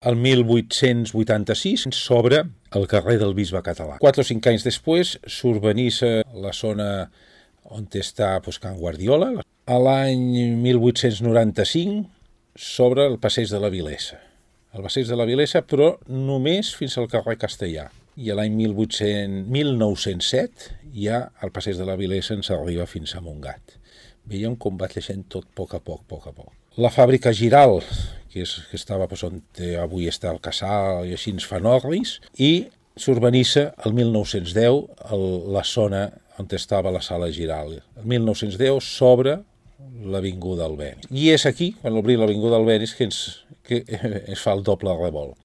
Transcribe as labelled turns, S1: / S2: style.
S1: El 1886 s'obre el carrer del Bisbe Català. 4 o 5 anys després s'urbanitza la zona on està Can Guardiola. A l'any 1895 s'obre el passeig de la Vilesa. El passeig de la Vilesa, però només fins al carrer Castellà. I a l'any 1907 ja el passeig de la Vilesa ens arriba fins a Montgat. Veiem com va creixent tot a poc a poc. La fàbrica Giral, que estava on avui està el Casal i així ens fan orris, i s'urbanitza el 1910 la zona on estava la sala Giral. El 1910 s'obre l'avinguda Albéniz. I és aquí, quan obrim l'avinguda Albéniz, que es fa el doble revolt.